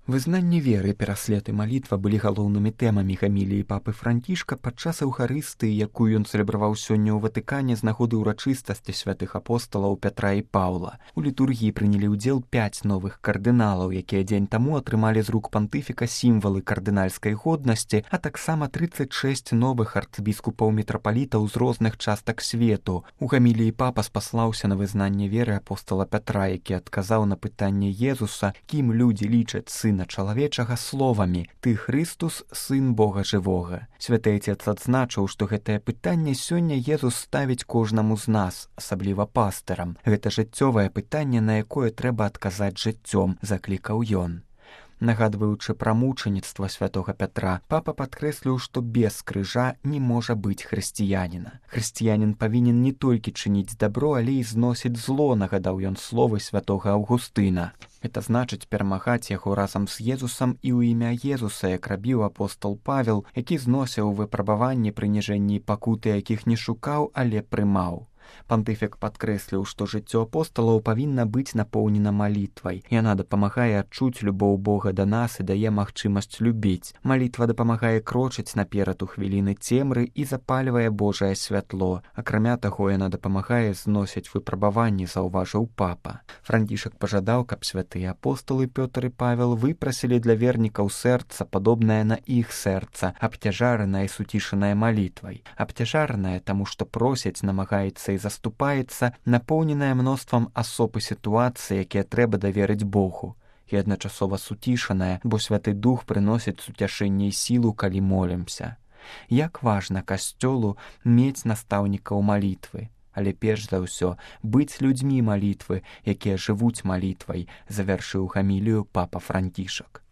Вызнанне веры, пераслед і малітва былі галоўнымі тэмамі гаміліі папы Францішка падчас эўхарыстыі, якую ён цэлебраваў сёння ў Ватыкане з нагоды ўрачыстасці святых апосталаў Пятра і Паўла. У літургіі прынялі ўдзел 5 новых кардыналаў, якія дзень таму атрымалі з рук пантыфіка сімвалы кардынальскай годнасці, а таксама 36 новых арцыбіскупаў-мітрапалітаў з розных частак свету. У гаміліі папа спаслаўся на вызнанне веры апостала Пятра, які адказаў на пытанне Езуса, кім людзі лічаць сына чалавечага словамі: «Ты, Хрыстус, сын Бога жывога». Святы Отец адзначыў, што гэтае пытанне сёння Езус ставіць кожнаму з нас, асабліва пастырам. Гэта жыццёвае пытанне, на якое трэба адказаць жыццём, заклікаў ён. Нагадваючы пра мучаніцтва святога Пятра, папа падкрэсліў, што без крыжа не можа быць хрысціяніна. Хрысціянін павінен не толькі чыніць дабро, але і зносіць зло, нагадаў ён словы святога Аўгустына. Гэта значыць перамагаць яго разам з Езусам і ў імя Езуса, як рабіў апостол Павел, які зносіў выпрабаванні, прыніжэнні і пакуты, якіх не шукаў, але прымаў. Пантыфік падкрэсліў, што жыццё апосталаў павінна быць напоўнена малітвай. Яна дапамагае адчуць любоў Бога да нас і дае магчымасць любіць. Малітва дапамагае крочыць наперад у хвіліны цемры і запальвае Божае святло. Акрамя таго, яна дапамагае зносіць выпрабаванні, заўважыў папа. Францішак пажадаў, каб святыя апосталы Пётр і Павел выпрасілі для вернікаў сэрца, падобнае на іх сэрца, абцяжаранае і суцішанае малітвай. Абцяжаранае, таму што просіць, намагаецца і заступаецца, напоўненая мноствам асоб і сітуацый, якія трэба даверыць Богу, і адначасова суцішаная, бо Святы Дух прыносіць суцяшэнне і сілу, калі молімся. Як важна касцёлу мець настаўнікаў малітвы, але перш за ўсё быць людзьмі малітвы, якія жывуць малітвай, завяршыў гамілію папа Францішак.